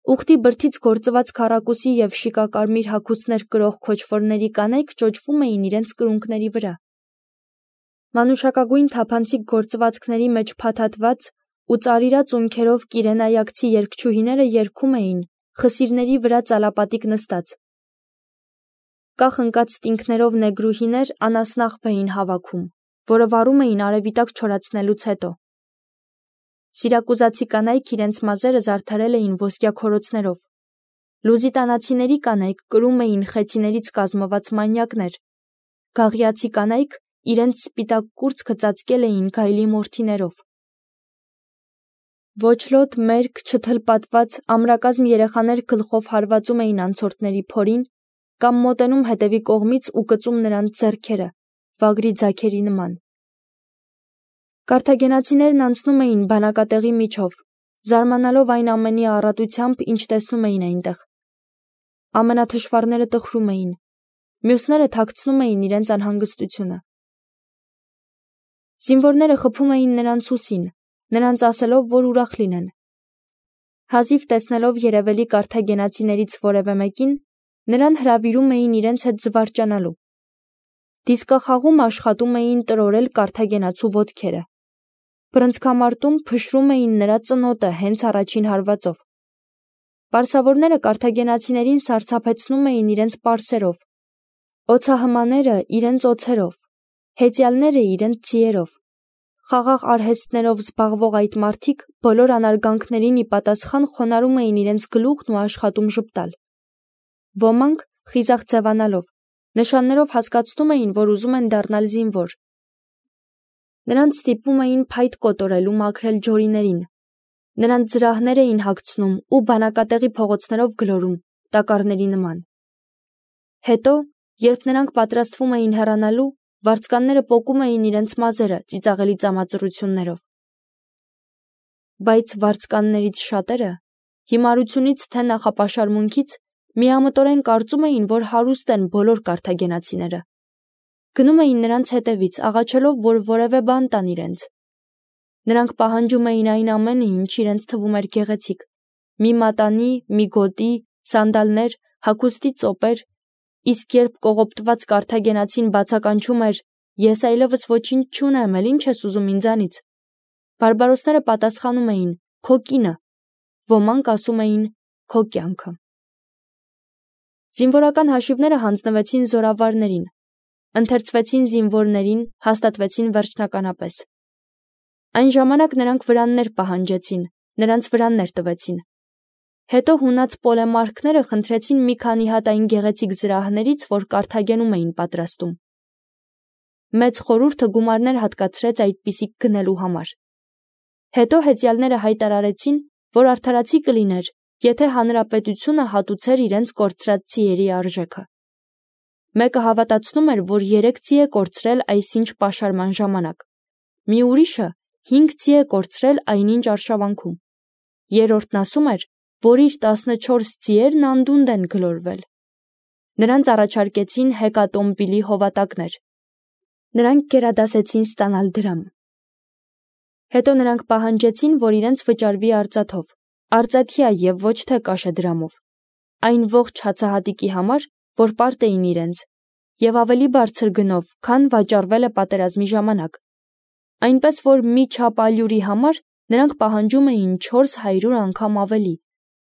Ուղտի բրդից գործված քառակուսի և շիկակարմիր հագուստներ կրող քոչվորների կանայք ճոճվում էին իրենց կրունկների վրա։ Մանուշակագույն թափանցիկ գործվածքների մեջ փաթաթված ու ծարիրած ունքերով կիրենայակցի երգչուհիները երգում էին, խսիրների վրա ծալապատիկ նստած։ Կախ ընկած ստինքներով նեգրուհիներ անասնաղբ էին հավաքում, որը վառում էին արևիտակ չորացնելուց հետո։ Սիրակուզացի կանայք իրենց մազերը զարդարել էին ոսկյա քորոցներով։ Լուզիտանացիների կանայք կրում էին խեցիներից կազմված մանյակներ։ Գաղիացի կանայք իրենց սպիտակ կուրծքը ծածկել էին գայլի մորթիներով։ Ոչլոտ, մերկ, չթլպատված, ամրակազմ երեխաներ գլխով հարվածում էին անցորդների փորին կամ մոտենում հետևի կողմից ու կծում նրանց ձեռքերը, վագրի ձագերի նման։ Կարթագենացիներն անցնում էին բանակատեղի միջով, զարմանալով այն ամենի առատությամբ, ինչ տեսնում էին այնտեղ։ Ամենաթշվառները տխրում էին, մյուսները թաքցնում էին իրենց անհանգստությունը։ Զինվորները խփում էին նրանց ուսին, նրանց ասելով, որ ուրախ լինեն։ Հազիվ տեսնելով երևելի կարթագենացիներից որևէ մեկին, նրան հրավիրում էին իրենց հետ զվարճանալու։ Դիսկախաղում աշխատում էին տրորել կարթագենացու ոտքերը։ Բռնցքամարտում փշրում էին նրա ծնոտը հենց առաջին հարվածով։ Պարսավորները կարթագենացիներին սարսափեցնում էին իրենց պարսերով, օձահմաները իրենց օձերով, հեծյալները իրենց ձիերով։ Խաղաղ արհեստներով զբաղվող այդ մարդիկ բոլոր անարգանքներին ի պատասխան խոնարհում էին իրենց գլուխն ու աշխատում ժպտալ։ Ոմանք, խիզախ ձևանալով, նշաններով հասկացնում էին, որ ուզում են դառնալ զինվոր։ Նրանց ստիպում էին փայտ կոտորել ու մաքրել ջորիներին։ Նրանց զրահներ էին հագցնում ու բանակատեղի փողոցներով գլորում, տակառների նման։ Հետո, երբ նրանք պատրաստվում էին հեռանալու, վարձկանները պոկում էին իրենց մազերը ծիծաղելի ծամածռություններով։ Բայց վարձկաններից շատերը, հիմարությունից թե նախապաշարմունքից, միամտորեն կարծում էին, որ հարուստ են բոլոր կարթագենացիները։ Գնում էին նրանց հետևից, աղաչելով, որ որևէ բան տան իրենց։ Նրանք պահանջում էին այն ամենը, ինչ իրենց թվում էր գեղեցիկ՝ մի մատանի, մի գոտի, սանդալներ, հագուստի ծոպեր, իսկ երբ կողոպտված կարթագենացին բացականչում էր. «Ես այլևս ոչինչ չունեմ, էլ ինչ ես ուզում ինձանից», բարբարոսները պատասխանում էին. «Քո կինը», ոմանք ասում էին. «Քո կյանքը»։ Զինվորական հաշիվները հանձնվեցին զորավարներին, ընթերցվեցին զինվորներին, հաստատվեցին վերջնականապես։ Այն ժամանակ նրանք վրաններ պահանջեցին, նրանց վրաններ տվեցին։ Հետո հունած պոլեմարքները խնդրեցին մի քանի հատ այն գեղեցիկ զրահներից, որ Կարթագենում էին պատրաստում։ Մեծ խորհուրդը գումարներ հատկացրեց այդպիսիք գնելու համար։ Հետո հեծյալները հայտարարեցին, որ արդարացի կլիներ, եթե հանրապետությունը հատուցեր իրենց կորցրած ձիերի արժեքը։ Մեկը հավատացնում էր, որ 3 ձի է կորցրել այսինչ պաշարման ժամանակ, մի ուրիշը 5 ձի է կորցրել այնինչ արշավանքում։ Երրորդն ասում էր, որ իր 14 ձիերն անդունդ են գլորվել։ Նրանց առաջարկեցին հեկատոմպիլի հովատակներ։ Նրանք գերադասեցին ստանալ դրամ։ Հետո նրանք պահանջեցին, որ իրենց վճարվի արծաթով, արծաթյա և ոչ թե կաշեդրամով, այն ողջ հացահատիկի համար, որ պարտ էին իրենց, և ավելի բարձր գնով, քան վաճառվել է պատերազմի ժամանակ, այնպես որ մի չափ ալյուրի համար նրանք պահանջում էին 400 անգամ ավելի,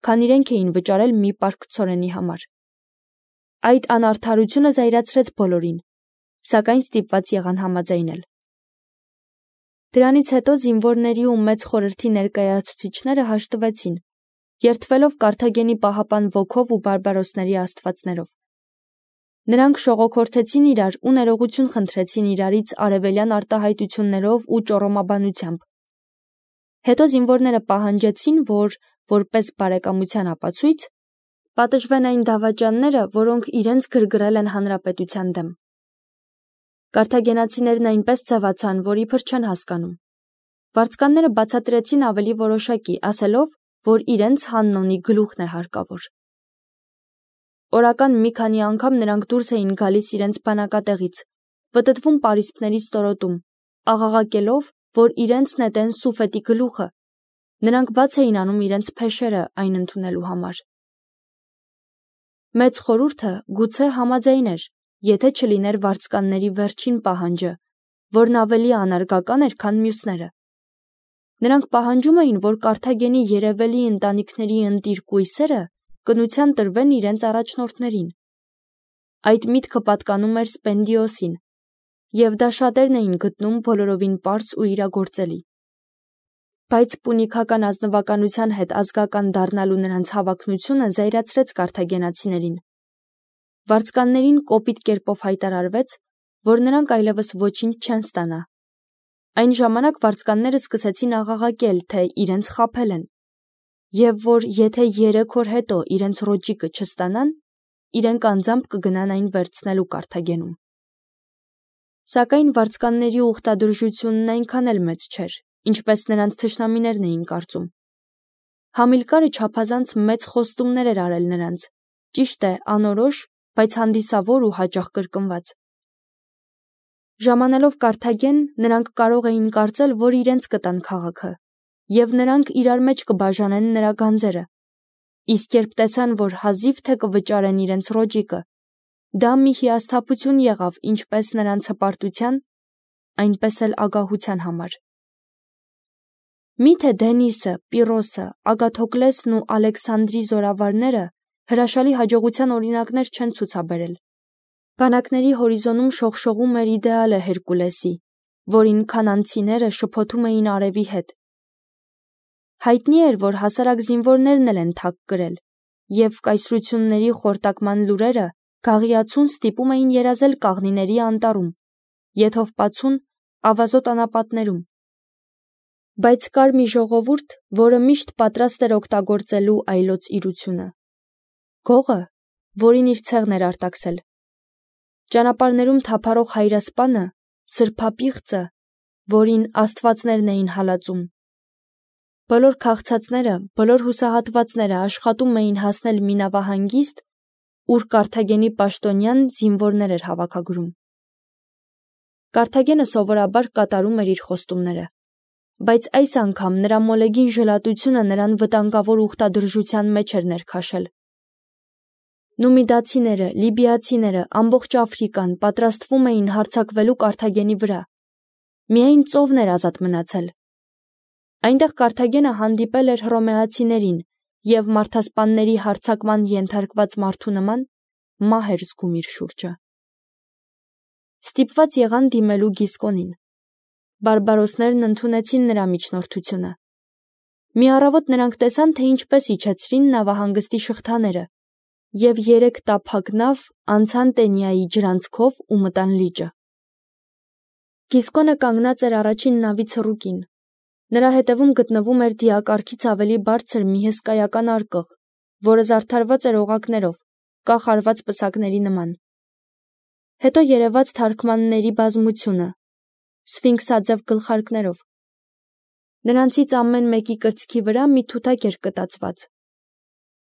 քան իրենք էին վճարել մի պարկ ցորենի համար։ Այդ անարդարությունը զայրացրեց բոլորին, սակայն ստիպված եղան համաձայնել։ Դրանից հետո զինվորների ու մեծ խորհրդի ներկայացուցիչները հաշտվեցին, երդվելով Կարթագենի պահապան ոգով ու բարբարոսների աստվածներով։ Նրանք շողոքորթեցին իրար ու ներողություն խնդրեցին իրարից արևելյան արտահայտություններով ու ճոռոմաբանությամբ։ Հետո զինվորները պահանջեցին, որ, որպես բարեկամության ապացույց, պատժվեն այն դավաճանները, որոնք իրենց գրգռել են հանրապետության դեմ։ Կարթագենացիներն այնպես ցավացան, որ իբր չեն հասկանում։ Վարձկանները բացատրեցին ավելի որոշակի, ասելով, որ իրենց Հաննոնի գլուխն է հարկավոր։ Օրական մի քանի անգամ նրանք դուրս էին գալիս իրենց բանակատեղից, պտտվում պարիսպների ստորոտում, աղաղակելով, որ իրենց նետեն Սուֆետի գլուխը։ Նրանք բաց էին անում իրենց փեշերը այն ընդունելու համար։ Մեծ խորհուրդը գուցե համաձայն էր, եթե չլիներ վարձկանների վերջին պահանջը, որն ավելի անարգական էր, քան մյուսները։ Նրանք պահանջում էին, որ Կարթագենի երևելի ընտանիքների ընտիր կույսերը կնության տրվեն իրենց առաջնորդներին։ Այդ միտքը պատկանում էր Սպենդիոսին, և դա շատերն էին գտնում բոլորովին պարզ ու իրագործելի։ Բայց պունիկական ազնվականության հետ ազգական դառնալու նրանց հավակնությունը զայրացրեց կարթագենացիներին։ Վարձկաններին կոպիտ կերպով հայտարարվեց, որ նրանք այլևս ոչինչ չեն ստանա։ Այն ժամանակ վարձկանները սկսեցին աղաղակել, թե իրենց խաբել են, և որ եթե 3 օր հետո իրենց ռոճիկը չստանան, իրենք անձամբ կգնան այն վերցնելու Կարթագենում։ Սակայն վարձկանների ուխտադրժությունն այնքան էլ մեծ չէր, ինչպես նրանց թշնամիներն էին կարծում։ Համիլկարը չափազանց մեծ խոստումներ էր արել նրանց, ճիշտ է, անորոշ, բայց հանդիսավոր ու հաճախ կրկնված։ Ժամանելով Կարթագեն, նրանք կարող էին կարծել, որ իրենց կտան քաղաքը, և նրանք իրար մեջ կբաժանեն նրա գանձերը։ Իսկ երբ տեսան, որ հազիվ թե կվճարեն իրենց ռոճիկը, դա մի հիասթափություն եղավ ինչպես նրանց հպարտության, այնպես էլ ագահության համար։ Միթե Դենիսը, Պիրոսը, Ագաթոկլեսն ու Ալեքսանդրի զորավարները հրաշալի հաջողության օրինակներ չեն ցուցաբերել։ Բանակների հորիզոնում շողշողում էր իդեալը Հերկուլեսի, որին քանանցիները շփոթում էին արևի հետ։ Հայտնի էր, որ հասարակ զինվորներն էլ են թակ կրել, և կայսրությունների խորտակման լուրերը Գաղիացուն ստիպում էին երազել կաղնիների անտառում, Եթովպացուն ավազոտ անապատներում։ Բայց կար մի ժողովուրդ, որը միշտ պատրաստ էր օգտագործելու այլոց իրությունը։ Գողը, որին իր ցեղն էր արտաքսել։ Ճանապարհներում թափառող հայրասպանը, սրբապիղծը, որին աստվածներն էին հալածում։ Բոլոր քաղցածները, բոլոր հուսահատվածները աշխատում էին հասնել մի նավահանգիստ, ուր Կարթագենի պաշտոնյան զինվորներ էր հավաքագրում։ Կարթագենը սովորաբար կատարում էր իր խոստումները, բայց այս անգամ նրա մոլեգին ժլատությունը նրան վտանգավոր ուխտադրժության մեջ էր ներքաշել։ Նումիդացիները, լիբիացիները, ամբողջ Աֆրիկան պատրաստվում էին հարձակվելու Կարթագենի վրա։ Միայն ծովն էր ազատ մնացել։ Այնտեղ Կարթագենը հանդիպել էր հռոմեացիներին և մարդասպանների հարձակման ենթարկված մարդու նման մահ էր զգում իր շուրջը։ Ստիպված եղան դիմելու Գիսկոնին։ Բարբարոսներն ընդունեցին նրա միջնորդությունը։ Մի առավոտ նրանք տեսան, թե ինչպես իջեցրին նավահանգստի շղթաները, և 3 տափակ նավ անցան Տենիայի ջրանցքով ու մտան լիճը։ Գիսկոնը կանգնած էր առաջին նավի ցռուկին։ Նրա հետևում գտնվում էր դիակարգից ավելի բարձր մի հսկայական արկղ, որը զարդարված էր օղակներով, կախարված պսակների նման։ Հետո երևաց թարգմանների բազմությունը, սֆինքսաձև գլխարկներով։ Նրանցից ամեն մեկի կրծքի վրա մի թութակ էր կտացված։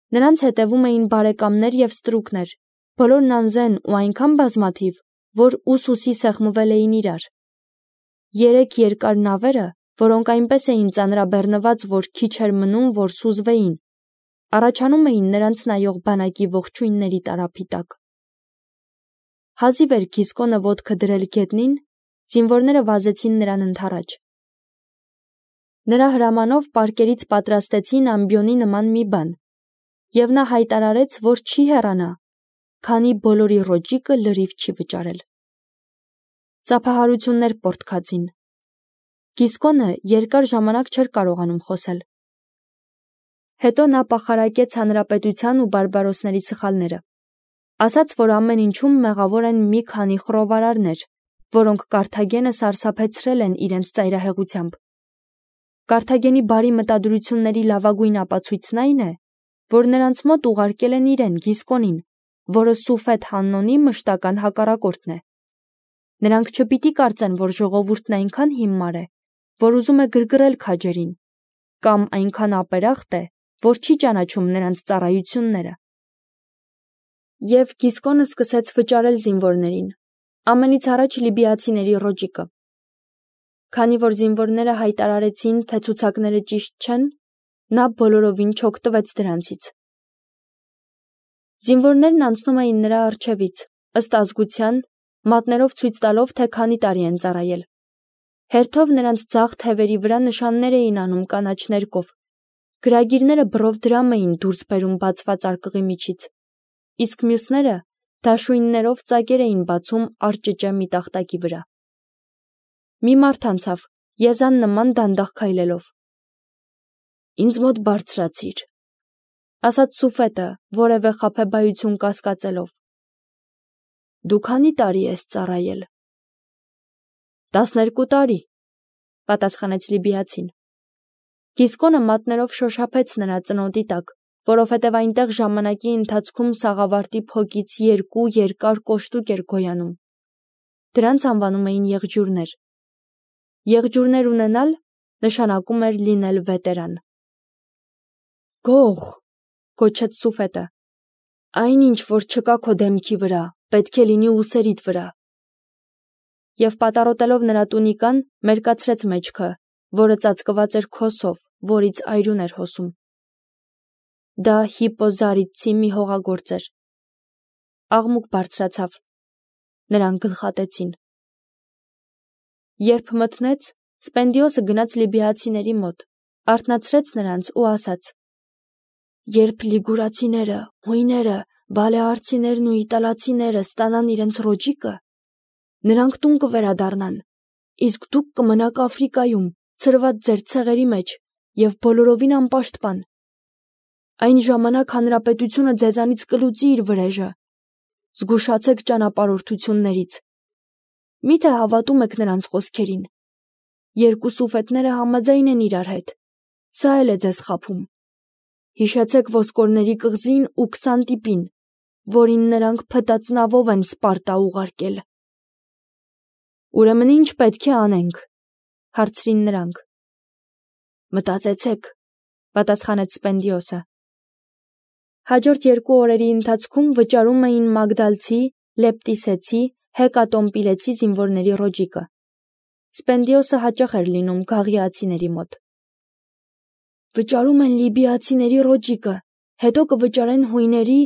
Նրանց հետևում էին բարեկամներ և ստրուկներ, բոլորն անզեն ու այնքան բազմաթիվ, որ ուսուսի սեղմվել էին իրար։ 3 երկար նավերը, որոնք այնպես էին ծանրաբեռնված, որ քիչ էր մնում, որ սուզվեին, առաջանում էին նրանց նայող բանակի ողջույնների տարափի տակ։ Հազիվ էր Գիսկոնը ոտքը դրել գետնին, զինվորները վազեցին նրան ընդառաջ։ Նրա հրամանով պարկերից պատրաստեցին ամբիոնի նման մի բան, և նա հայտարարեց, որ չի հեռանա, քանի բոլորի ռոճիկը լրիվ չի վճարել։ Ծափահարություններ պոռթկացին։ Գիսկոնը երկար ժամանակ չէր կարողանում խոսել։ Հետո նա պախարակեց հանրապետության ու բարբարոսների սխալները։ Ասաց, որ ամեն ինչում մեղավոր են մի քանի խռովարարներ, որոնք Կարթագենը սարսափեցրել են իրենց ծայրահեղությամբ։ Կարթագենի բարի մտադրությունների լավագույն ապացույցն այն է, որ նրանց մոտ ուղարկել են իրեն Գիսկոնին, որը Սուֆետ Հաննոնի մշտական հակառակորդն է։ Նրանք չպիտի կարծեն, որ ժողովուրդն այնքան հիմար է, որ ուզում է գրգռել քաջերին, կամ այնքան ապերախտ է, որ չի ճանաչում նրանց ծառայությունները։ Եվ Գիսկոնը սկսեց վճարել զինվորներին, ամենից առաջ լիբիացիների ռոճիկը։ Քանի որ զինվորները հայտարարեցին, թե ցուցակները ճիշտ չեն, Նա բոլորովին չօգտվեց դրանցից։ Զինվորներն անցնում էին նրա առջևից, ըստ ազգության, մատներով ցույց տալով, թե քանի տարի են ծառայել։ Հերթով նրանց ձախ թևերի վրա նշաններ էին անում կանաչ ներկով։ Գրագիրները բռով դրամ էին դուրս բերում բացված արկղի միջից, իսկ մյուսները դաշույններով ծակեր էին բացում արճճե մի տախտակի վրա։ Մի մարդ անցավ, եզան նման դանդաղ քայլելով։ «Ինձ մոտ բարձրացիր», ասաց Սուֆետը, որևէ խաբեբայություն կասկածելով։ «Դու քանի տարի ես ծառայել»։ 12 տարի, պատասխանեց լիբիացին։ Գիսկոնը մատներով շոշափեց նրա ծնոտի տակ, որովհետև այնտեղ ժամանակի ընթացքում սաղավարտի փոկից 2 երկար կոշտուկ էր գոյանում։ Դրանց անվանում էին եղջյուրներ։ Եղջյուրներ ունենալ նշանակում էր լինել վետերան։ «Գող», գոչեց Սուֆետը, «այն ինչ որ չկա քո դեմքի վրա, պետք է լինի ուսերիդ վրա»։ Եվ պատառոտելով նրա տունիկան, մերկացրեց մեջքը, որը ծածկված էր քոսով, որից այրուն էր հոսում։ Դա հիպոզարիդցի մի հողագործ էր։ Աղմուկ բարձրացավ։ Նրան գլխատեցին։ Երբ մթնեց, Սպենդիոսը գնաց լիբիացիների մոտ, արթնացրեց նրանց ու ասաց. «Երբ լիգուրացիները, հույները, բալեարցիներն ու իտալացիները ստանան իրենց ռոճիկը, նրանք տուն կվերադառնան, իսկ դուք կմնաք Աֆրիկայում, ցրված ձեր ցեղերի մեջ և բոլորովին անպաշտպան։ Այն ժամանակ հանրապետությունը ձեզանից կլուծի իր վրեժը։ Զգուշացեք ճանապարհորդություններից։ Միթե հավատում եք նրանց խոսքերին։ Երկու սուֆետները համաձայն են իրար հետ։ Սա էլ է ձեզ խաբում։ Հիշեցեք ոսկորների կղզին ու Քսանտիպին, որին նրանք փտածնավով են Սպարտա ուղարկել»։ «Ուրեմն ինչ պետք է անենք», հարցրին նրանք։ «Մտածեցեք», պատասխանեց Սպենդիոսը։ Հաջորդ 2 օրերի ընթացքում վճարում էին մագդալցի, լեպտիսեցի, հեկատոմպիլեցի զինվորների ռոճիկը։ Սպենդիոսը հաճախ էր լինում գաղիացիների մոտ։ «Վճարում են լիբիացիների ռոճիկը, հետո կվճարեն հույների,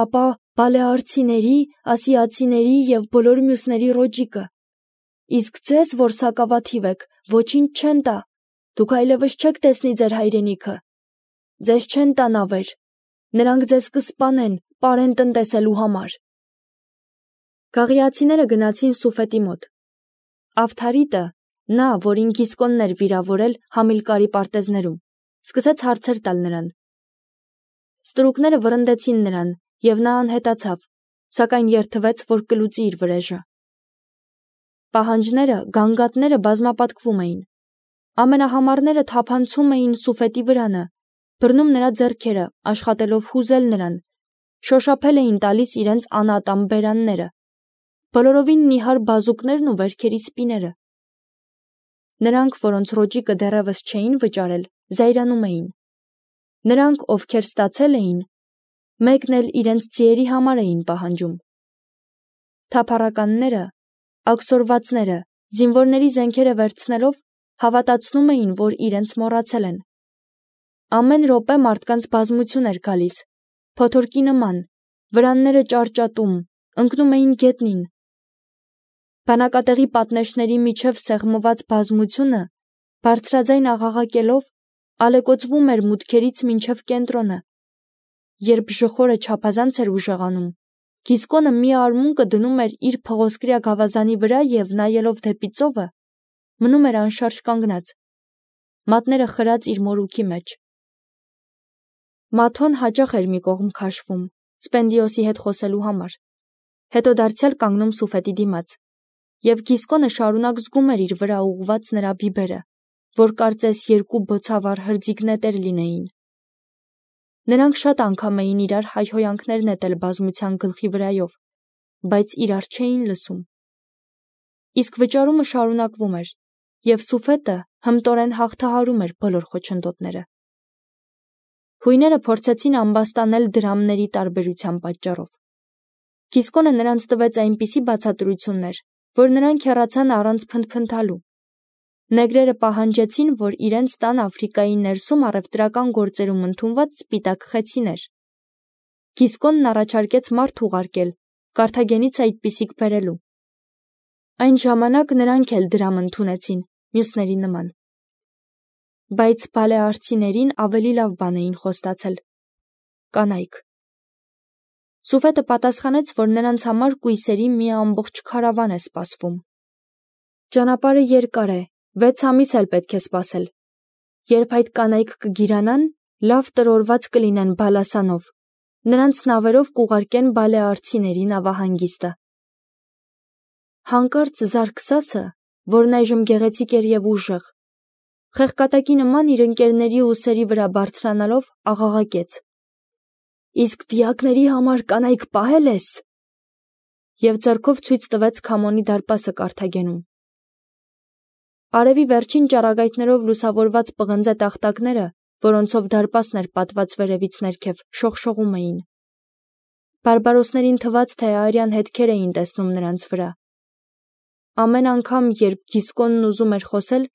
ապա բալեարցիների, ասիացիների և բոլոր մյուսների ռոճիկը։ Իսկ ձեզ, որ սակավաթիվ եք, ոչինչ չեն տա, դուք այլևս չեք տեսնի ձեր հայրենիքը։ Ձեզ չեն տա նավեր, նրանք ձեզ կսպանեն, պարեն տնտեսելու համար»։ Գաղիացիները գնացին Սուֆետի մոտ։ Ավթարիտը, նա, որին Գիսկոնն էր վիրավորել Համիլկարի պարտեզներում, սկսեց հարցեր տալ նրան։ Ստրուկները վռնդեցին նրան, և նա անհետացավ, սակայն երդվեց, որ կլուծի իր վրեժը։ Պահանջները, գանգատները բազմապատկվում էին։ Ամենահամարները թափանցում էին Սուֆետի վրանը, բռնում նրա ձեռքերը, աշխատելով հուզել նրան, շոշափել էին տալիս իրենց անատամ բերանները, բոլորովին նիհար բազուկներն ու վերքերի սպիները։ Նրանք, որոնց ռոճիկը դեռևս չէին վճարել, զայրանում էին։ Նրանք, ովքեր ստացել էին, մեկն էլ իրենց ձիերի համար էին պահանջում։ Թափառականները, աքսորվածները, զինվորների զենքերը վերցնելով, հավատացնում էին, որ իրենց մոռացել են։ Ամեն րոպե մարդկանց բազմություն էր գալիս, փոթորկի նման, վրանները ճարճատում, ընկնում էին գետնին։ Բանակատեղի պատնեշների միջև սեղմված բազմությունը, բարձրաձայն աղաղակելով, ալեկոծվում էր մուտքերից մինչև կենտրոնը։ Երբ ժխորը չափազանց էր ուժեղանում, Գիսկոնը մի արմունկը դնում էր իր փղոսկրյա գավազանի վրա և, նայելով դեպի ծովը, մնում էր անշարժ կանգնած, մատները խրած իր մորուքի մեջ։ Մաթոն հաճախ էր մի կողմ քաշվում, Սպենդիոսի հետ խոսելու համար, հետո դարձյալ կանգնում Սուֆետի դիմաց, և Գիսկոնը շարունակ զգում էր իր վրա ուղղված նրա բիբերը, որ կարծես 2 բոցավառ հրձիգ նետեր լինեին։ Նրանք շատ անգամ էին իրար հայհոյանքներ նետել բազմության գլխի վրայով, բայց իրար չէին լսում։ Իսկ վճարումը շարունակվում էր, և Սուֆետը հմտորեն հաղթահարում էր բոլոր խոչընդոտները։ Հույները փորձեցին ամբաստանել դրամների տարբերության պատճառով։ Գիսկոնը նրանց տվեց այնպիսի բացատրություններ, որ նրանք հեռացան առանց փնթփնթալու։ Նեգրերը պահանջեցին, որ իրենց տան Աֆրիկայի ներսում առևտրական գործերում ընդունված սպիտակ խեցիներ։ Գիսկոնն առաջարկեց մարդ ուղարկել, Կարթագենից այդպիսիք բերելու։ Այն ժամանակ նրանք էլ դրամ ընդունեցին, մյուսների նման։ Բայց բալեարցիներին ավելի լավ բան էին խոստացել։ Կանայք։ Սուֆետը պատասխանեց, որ նրանց համար կույսերի մի ամբողջ քարավան է սպասվում։ Ճանապարհը երկար է, 6 ամիս էլ պետք է սպասել։ Երբ այդ կանայք կգիրանան, լավ տրորված կլինեն բալասանով, նրանց նավերով կուղարկեն բալեարցիների նավահանգիստը։ Հանկարծ Զարքսասը, որն այժմ գեղեցիկ էր և ուժեղ, խեղկատակի նման իր ընկերների ուսերի վրա բարձրանալով աղաղակեց. «Իսկ դիակների համար կանայք պահել ես»։ Եվ ձեռքով ցույց տվեց Քամոնի դարպասը Կարթագենում։ Արևի վերջին ճառագայթներով լուսավորված պղնձե տախտակները, որոնցով դարպասն էր պատված վերևից ներքև, շողշողում էին։ Բարբարոսներին թվաց, թե արյան հետքեր էին տեսնում նրանց վրա։ Ամեն անգամ, երբ Գիսկոնն ուզում էր խոսել,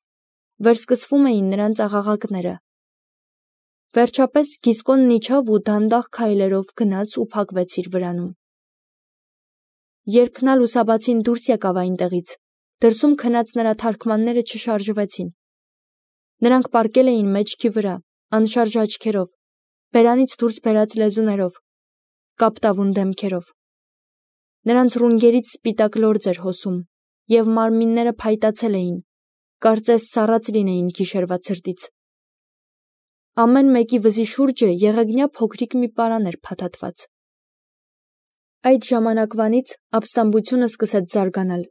վերսկսվում էին նրանց աղաղակները։ Վերջապես Գիսկոնն իջավ ու դանդաղ քայլերով գնաց ու փակվեց իր վրանում։ Երբ նա լուսաբացին դուրս եկավ այնտեղից, դրսում քնած նրա թարքմանները չշարժվեցին։ Նրանք պառկել էին մեջքի վրա, անշարժ աչքերով, բերանից դուրս բերած լեզուներով, կապտավուն դեմքերով։ Նրանց ռունգերից սպիտակ լորձ էր հոսում, և մարմինները փայտացել էին, կարծես սառած լինեին գիշերվա ցրտից։ Ամեն մեկի վզի շուրջը եղեգնյա փոքրիկ մի պարան էր փաթաթված։ Այդ ժամանակվանից ապստամբությունը սկսեց զարգանալ։